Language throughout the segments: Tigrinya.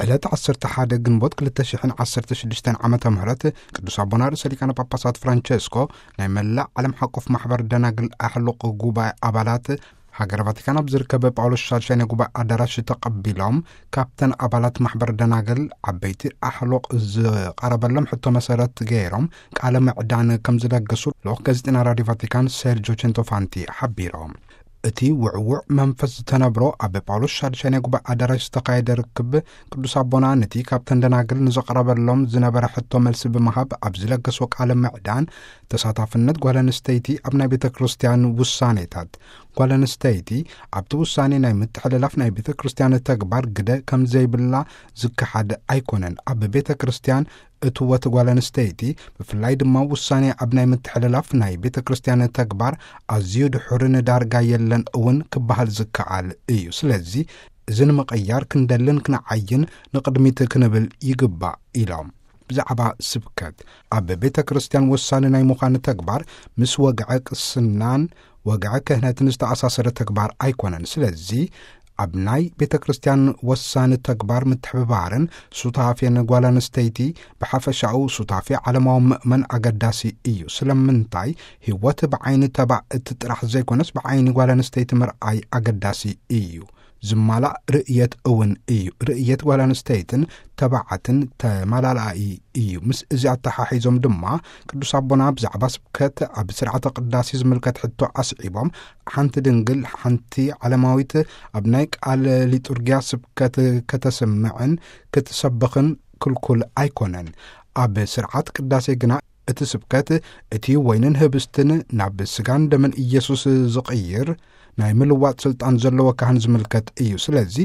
ዕለት ዓሰርተ ሓደ ግንቦት ክልተ ሽሕን ዓሰርተ ሽዱሽተን ዓመተ ምህረት ቅዱስ ኣቦና ርእሰ ሊቃነ ጳጳሳት ፍራንቸስኮ ናይ መላእ ዓለም ሓቆፍ ማሕበር ደናግል ኣሕሉቕ ጉባኤ ኣባላት ሃገረ ቫቲካን ኣብ ዝርከብ ጳውሎስ ሻድሻይ ናይ ጉባኤ ኣዳራሽ ተቐቢሎም፣ ካብተን ኣባላት ማሕበር ደናግል ዓበይቲ ኣሕሉቕ ዝቐረበሎም ሕቶ መሰረት ገይሮም ቃለ ምዕዳን ከም ዝለገሱ ልኡኽ ጋዜጠኛ ራዲዮ ቫቲካን ሴርጆ ቸንቶፋንቲ ሓቢሮም። እቲ ውዕውዕ መንፈስ ዝተነብሮ ኣብ ጳውሎስ ሻድሻይ ናይ ጉባኤ ኣዳራሽ ዝተኻየደ ርክብ ቅዱስ ኣቦና ነቲ ካብተን ደናግል ንዘቕረበሎም ዝነበረ ሕቶ መልሲ ብምሃብ ኣብ ዝለገሶ ቃለ ምዕዳን ተሳታፍነት ጓል ኣንስተይቲ ኣብ ናይ ቤተ ክርስቲያን ውሳኔታት፣ ጓል ኣንስተይቲ ኣብቲ ውሳኔ ናይ ምትሕልላፍ ናይ ቤተ ክርስቲያን ተግባር ግደ ከም ዘይብላ ዝከሓድ ኣይኮነን። ኣብ ቤተ ክርስቲያን እትወት ጓል ኣንስተይቲ ብፍላይ ድማ ውሳኔ ኣብ ናይ ምትሕልላፍ ናይ ቤተ ክርስቲያን ተግባር ኣዝዩ ድሑርን ዳርጋ የለን እውን ክበሃል ዝከኣል እዩ። ስለዚ እዚ ንምቕያር ክንደልን ክንዓይን ንቕድሚት ክንብል ይግባእ ኢሎም። ብዛዕባ ስብከት ኣብ ቤተ ክርስቲያን ወሳኒ ናይ ምዃን ተግባር ምስ ወግዐ ቅስናን ወግዐ ክህነትን ዝተኣሳሰረ ተግባር ኣይኮነን። ስለዚ ኣብ ናይ ቤተ ክርስቲያን ወሳኒ ተግባር ምትሕብባርን ሱታፌን ጓል ኣንስተይቲ ብሓፈሻኡ ሱታፌ ዓለማዊ ምእመን ኣገዳሲ እዩ። ስለምንታይ ህይወት ብዓይኒ ተባዕት ጥራሕ ዘይኮነስ ብዓይኒ ጓል ኣንስተይቲ ምርኣይ ኣገዳሲ እዩ። ዝማላእ ርእየት እውን እዩ። ርእየት ጓል ኣንስተይትን ተባዕትን ተመላላኢ እዩ። ምስ እዚ ኣተሓሒዞም ድማ ቅዱስ ኣቦና ብዛዕባ ስብከት ኣብ ስርዓተ ቅዳሴ ዝምልከት ሕቶ ኣስዒቦም፣ ሓንቲ ድንግል ሓንቲ ዓለማዊት ኣብ ናይ ቃል ሊጡርጊያ ስብከት ከተስምዕን ክትሰብኽን ክልኩል ኣይኮነን። ኣብ ስርዓት ቅዳሴ ግና እቲ ስብከት እቲ ወይንን ህብስትን ናብ ስጋን ደምን ኢየሱስ ዝቕይር ናይ ምልዋጥ ስልጣን ዘለዎ ካህን ዝምልከት እዩ። ስለዚ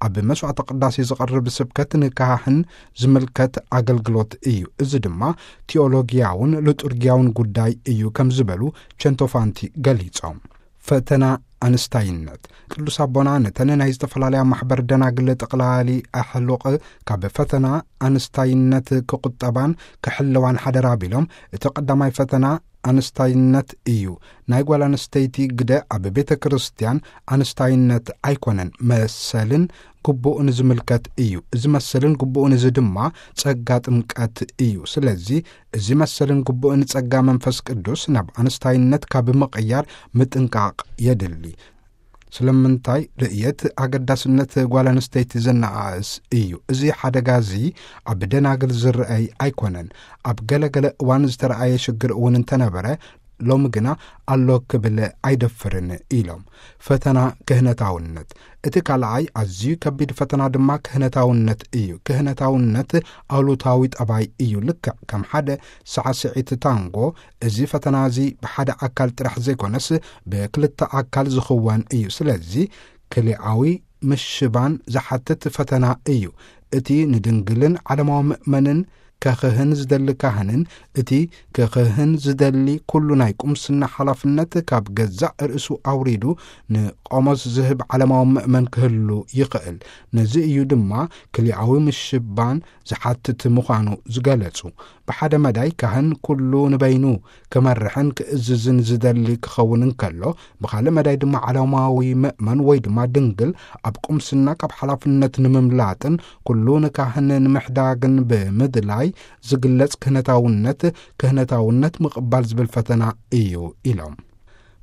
ኣብ መስዋዕተ ቅዳሴ ዝቐርብ ስብከት ንካህን ዝምልከት ኣገልግሎት እዩ። እዚ ድማ ቲኦሎጊያውን ሊጡርጊያውን ጉዳይ እዩ ከም ዝበሉ ቸንቶፋንቲ ገሊጾም። ፈተና ኣንስታይነት። ቅዱስ ኣቦና ነተን ናይ ዝተፈላለያ ማሕበር ደናግል ጠቕላሊ ኣሕሉቕ ካብ ፈተና ኣንስታይነት ክቑጠባን ክሕልዋን ሓደራ ቢሎም፣ እቲ ቀዳማይ ፈተና ኣንስታይነት እዩ። ናይ ጓል ኣንስተይቲ ግደ ኣብ ቤተ ክርስቲያን ኣንስታይነት ኣይኮነን፣ መሰልን ግቡእን ዝምልከት እዩ። እዚ መሰልን ግቡእን እዚ ድማ ጸጋ ጥምቀት እዩ። ስለዚ እዚ መሰልን ግቡእን ጸጋ መንፈስ ቅዱስ ናብ ኣንስታይነት ካብ ምቕያር ምጥንቃቕ የድሊ። ስለምንታይ ርእየት ኣገዳስነት ጓል ኣንስተይቲ ዘነኣእስ እዩ። እዚ ሓደጋ እዚ ኣብ ደናግል ዝረኣይ ኣይኮነን። ኣብ ገለ ገለ እዋን ዝተረኣየ ሽግር እውን እንተነበረ፣ ሎሚ ግና ኣሎ ክብል ኣይደፍርን ኢሎም። ፈተና ክህነታውነት። እቲ ካልኣይ ኣዝዩ ከቢድ ፈተና ድማ ክህነታውነት እዩ። ክህነታውነት ኣሉታዊ ጠባይ እዩ። ልክዕ ከም ሓደ ሳዕስዒት ታንጎ፣ እዚ ፈተና እዚ ብሓደ ኣካል ጥራሕ ዘይኮነስ ብክልተ ኣካል ዝኽወን እዩ። ስለዚ ክልኣዊ ምሽባን ዝሓትት ፈተና እዩ። እቲ ንድንግልን ዓለማዊ ምእመንን ከኽህን ዝደሊ ካህንን እቲ ከኽህን ዝደሊ ኩሉ ናይ ቁምስና ሓላፍነት ካብ ገዛእ ርእሱ ኣውሪዱ ንቆሞስ ዝህብ ዓለማዊ ምእመን ክህሉ ይኽእል። ነዚ እዩ ድማ ክልኣዊ ምሽባን ዝሓትት ምዃኑ ዝገለጹ። ብሓደ መዳይ ካህን ኩሉ ንበይኑ ክመርሕን ክእዝዝን ዝደሊ ክኸውን እንከሎ፣ ብኻልእ መዳይ ድማ ዓለማዊ ምእመን ወይ ድማ ድንግል ኣብ ቁምስና ካብ ሓላፍነት ንምምላጥን ኩሉ ንካህን ንምሕዳግን ብምድላይ ዝግለጽ ክህነታውነት፣ ክህነታውነት ምቕባል ዝብል ፈተና እዩ ኢሎም።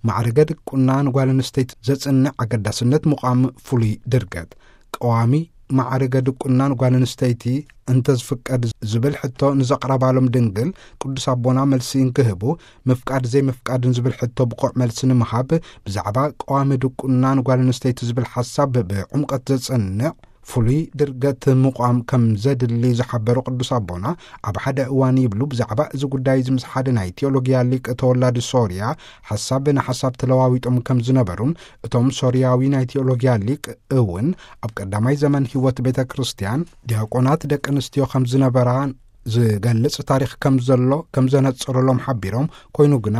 ማዕርገ ድቁና ንጓል ኣንስተይቲ ዘጽንዕ ኣገዳስነት ምቋም ፍሉይ ድርገት። ቀዋሚ ማዕርገ ድቁና ንጓል ኣንስተይቲ እንተዝፍቀድ ዝብል ሕቶ ንዘቕረባሎም ድንግል ቅዱስ ኣቦና መልሲ እንክህቡ፣ ምፍቃድ ዘይምፍቃድን ዝብል ሕቶ ብቑዕ መልሲ ንምሃብ ብዛዕባ ቀዋሚ ድቁና ንጓል ኣንስተይቲ ዝብል ሓሳብ ብዕምቀት ዘጸንዕ ፍሉይ ድርገት ምቋም ከም ዘድሊ ዝሓበሩ ቅዱስ ኣቦና፣ ኣብ ሓደ እዋን ይብሉ፣ ብዛዕባ እዚ ጉዳይ እዚ ምስ ሓደ ናይ ቴዎሎጊያ ሊቅ ተወላዲ ሶርያ ሓሳብ ንሓሳብ ተለዋዊጦም ከም ዝነበሩን፣ እቶም ሶርያዊ ናይ ቴዎሎጊያ ሊቅ እውን ኣብ ቀዳማይ ዘመን ህይወት ቤተ ክርስቲያን ዲያቆናት ደቂ ኣንስትዮ ከም ዝነበራ ዝገልጽ ታሪኽ ከም ዘሎ ከም ዘነጽሩሎም ሓቢሮም፣ ኮይኑ ግና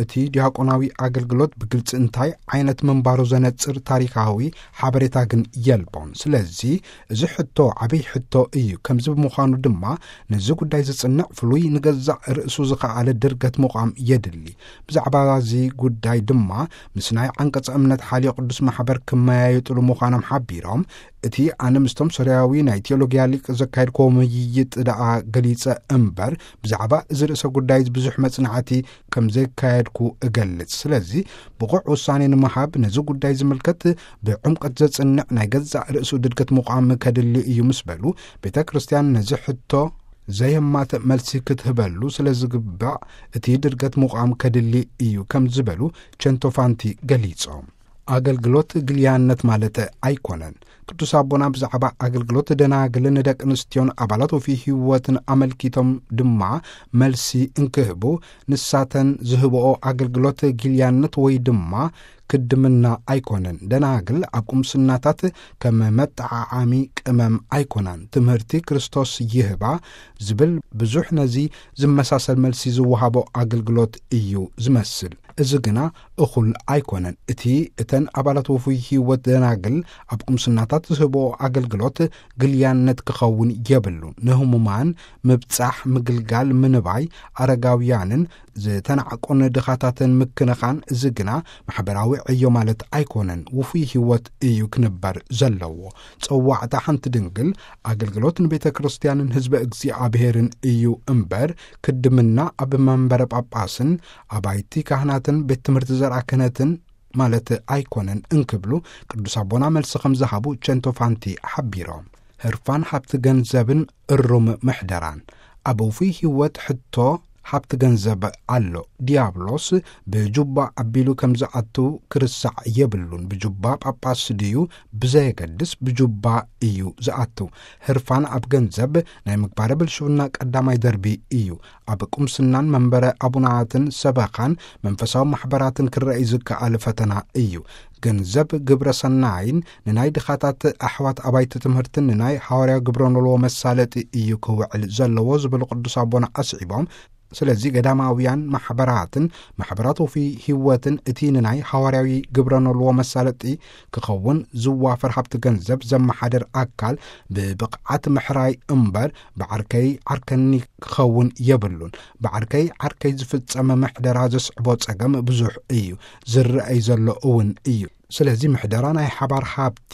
እቲ ዲያቆናዊ ኣገልግሎት ብግልጺ እንታይ ዓይነት ምንባሩ ዘነጽር ታሪኻዊ ሓበሬታ ግን የልቦን። ስለዚ እዚ ሕቶ ዓብይ ሕቶ እዩ። ከምዚ ብምዃኑ ድማ ነዚ ጉዳይ ዝጽንዕ ፍሉይ ንገዛእ ርእሱ ዝኸኣለ ድርገት ምቋም የድሊ። ብዛዕባ እዚ ጉዳይ ድማ ምስ ናይ ዓንቀጸ እምነት ሓልዮ ቅዱስ ማሕበር ክመያየጥሉ ምዃኖም ሓቢሮም፣ እቲ ኣነ ምስቶም ሶርያዊ ናይ ቴዎሎጊያ ሊቅ ዘካየድክዎ ምይይጥ ደኣ ገሊጸ እምበር፣ ብዛዕባ እዚ ርእሰ ጉዳይ ብዙሕ መጽናዕቲ ከም ዘካየድኩ እገልጽ። ስለዚ ብቑዕ ውሳኔ ንምሃብ ነዚ ጉዳይ ዝምልከት ብዕምቀት ዘጽንዕ ናይ ገዛእ ርእሱ ድርገት ምቋም ከድሊ እዩ ምስ በሉ፣ ቤተ ክርስቲያን ነዚ ሕቶ ዘየማትእ መልሲ ክትህበሉ ስለ ዝግባእ እቲ ድርገት ምቋም ከድሊ እዩ ከም ዝበሉ ቸንቶፋንቲ ገሊጾም። ኣገልግሎት ግልያነት ማለት ኣይኮነን። ቅዱስ ኣቦና ብዛዕባ ኣገልግሎት ደናግልን ደቂ ኣንስትዮን ኣባላት ወፍይ ህይወትን ኣመልኪቶም ድማ መልሲ እንክህቡ፣ ንሳተን ዝህብኦ ኣገልግሎት ግልያነት ወይ ድማ ክድምና ኣይኮነን። ደናግል ኣብ ቁምስናታት ከም መጠዓዓሚ ቅመም ኣይኮናን። ትምህርቲ ክርስቶስ ይህባ ዝብል ብዙሕ ነዚ ዝመሳሰል መልሲ ዝወሃቦ ኣገልግሎት እዩ ዝመስል። እዚ ግና እኹል ኣይኮነን። እቲ እተን ኣባላት ወፉይ ህይወት ደናግል ኣብ ቁምስናታት ዝህብኦ ኣገልግሎት ግልያነት ክኸውን የብሉን። ንህሙማን ምብጻሕ፣ ምግልጋል፣ ምንባይ፣ ኣረጋውያንን ዝተናዕቁን ድኻታትን ምክንኻን፣ እዚ ግና ማሕበራዊ ዕዮ ማለት ኣይኮነን። ውፉይ ህይወት እዩ ክንበር ዘለዎ። ጸዋዕታ ሓንቲ ድንግል ኣገልግሎት ንቤተ ክርስቲያንን ህዝበ እግዚኣብሔርን እዩ እምበር፣ ክድምና ኣብ መንበረ ጳጳስን ኣባይቲ ካህናትን ቤት ትምህርቲ ዘርኣ ክህነትን ማለት ኣይኮነን እንክብሉ ቅዱስ ኣቦና መልሲ ከም ዝሃቡ ቸንቶፋንቲ ሓቢሮም። ህርፋን ሃብቲ ገንዘብን እሩም ምሕደራን። ኣብ ውፉይ ህይወት ሕቶ ሃብቲ ገንዘብ ኣሎ። ዲያብሎስ ብጁባ ኣቢሉ ከም ዝኣቱ ክርሳዕ የብሉን። ብጁባ ጳጳስ ድዩ ብዘየገድስ ብጁባ እዩ ዝኣቱ። ህርፋን ኣብ ገንዘብ ናይ ምግባረ ብልሽውና ቀዳማይ ደርቢ እዩ። ኣብ ቁምስናን መንበረ ኣቡናትን ሰበኻን መንፈሳዊ ማሕበራትን ክረአ ዝከኣል ፈተና እዩ። ገንዘብ ግብረ ሰናይን ንናይ ድኻታት ኣሕዋት ኣባይቲ ትምህርትን ንናይ ሃዋርያ ግብረ ኖልዎ መሳለጢ እዩ ክውዕል ዘለዎ ዝብል ቅዱስ ኣቦና ኣስዒቦም፣ ስለዚ ገዳማውያን ማሕበራትን ማሕበራት ወፍይ ህይወትን እቲ ንናይ ሃዋርያዊ ግብረ ኖልዎ መሳለጢ ክኸውን ዝዋፈር ሃብቲ ገንዘብ ዘመሓደር ኣካል ብብቕዓት ምሕራይ እምበር ብዓርከይ ዓርከኒ ክኸውን የብሉን። ብዓርከይ ዓርከይ ዝፍጸመ ምሕደራ ዘስዕቦ ጸገም ብዙሕ እዩ፣ ዝረኣይ ዘሎ እውን እዩ። ስለዚ ምሕደራ ናይ ሓባር ሃብቲ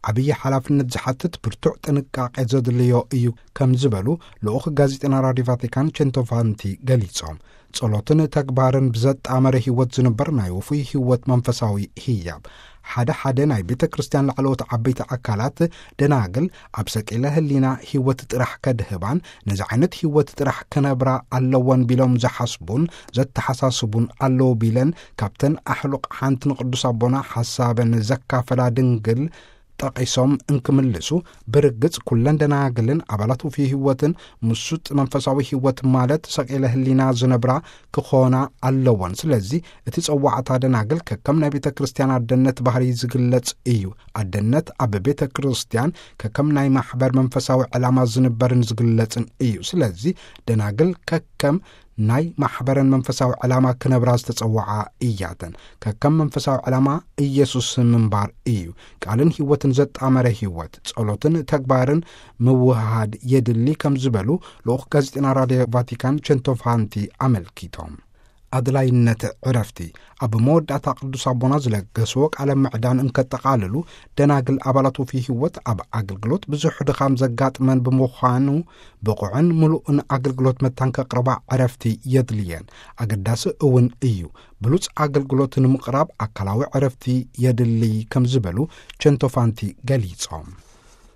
ዓብዪ ሓላፍነት ዝሓትት ብርቱዕ ጥንቃቄ ዘድልዮ እዩ ከም ዝበሉ ልኡኽ ጋዜጠና ራድዮ ቫቲካን ቸንቶፋንቲ ገሊጾም። ጸሎትን ተግባርን ብዘጣመረ ህይወት ዝንበር ናይ ውፉይ ህይወት መንፈሳዊ ህያብ። ሓደ ሓደ ናይ ቤተ ክርስቲያን ላዕለዎት ዓበይቲ ኣካላት ደናግል ኣብ ሰቂለ ህሊና ህይወት ጥራሕ ከድህባን ነዚ ዓይነት ህይወት ጥራሕ ክነብራ ኣለወን ቢሎም ዝሓስቡን ዘተሓሳስቡን ኣለዉ ቢለን ካብተን ኣሕሉቕ ሓንቲ ንቅዱስ ኣቦና ሓሳበን ዘካፈላ ድንግል ጠቒሶም እንክምልሱ፣ ብርግጽ ኩለን ደናግልን ኣባላት ውፉይ ህይወትን ምሱጥ መንፈሳዊ ህይወት ማለት ሰቂለ ህሊና ዝነብራ ክኾና ኣለወን። ስለዚ እቲ ጸዋዕታ ደናግል ከከም ናይ ቤተ ክርስቲያን ኣደነት ባህሪ ዝግለጽ እዩ። ኣደነት ኣብ ቤተ ክርስቲያን ከከም ናይ ማሕበር መንፈሳዊ ዕላማ ዝንበርን ዝግለጽን እዩ። ስለዚ ደናግል ከከም ናይ ማሕበረን መንፈሳዊ ዕላማ ክነብራ ዝተጸዋዓ እያተን። ከከም መንፈሳዊ ዕላማ ኢየሱስ ምንባር እዩ። ቃልን ህይወትን ዘጣመረ ህይወት፣ ጸሎትን ተግባርን ምውህሃድ የድሊ ከም ዝበሉ ልኡኽ ጋዜጠና ራድዮ ቫቲካን ቸንቶፋንቲ ኣመልኪቶም። ኣድላይነት ዕረፍቲ። ኣብ መወዳእታ ቅዱስ ኣቦና ዝለገስዎ ቃለ ምዕዳን እንከጠቓልሉ፣ ደናግል ኣባላት ውፉይ ህይወት ኣብ ኣገልግሎት ብዙሕ ድኻም ዘጋጥመን ብምዃኑ፣ ብቑዕን ምሉእን ኣገልግሎት መታን ከቕርባ ዕረፍቲ የድልየን። ኣገዳሲ እውን እዩ። ብሉጽ ኣገልግሎት ንምቕራብ ኣካላዊ ዕረፍቲ የድሊ ከም ዝበሉ ቸንቶፋንቲ ገሊጾም።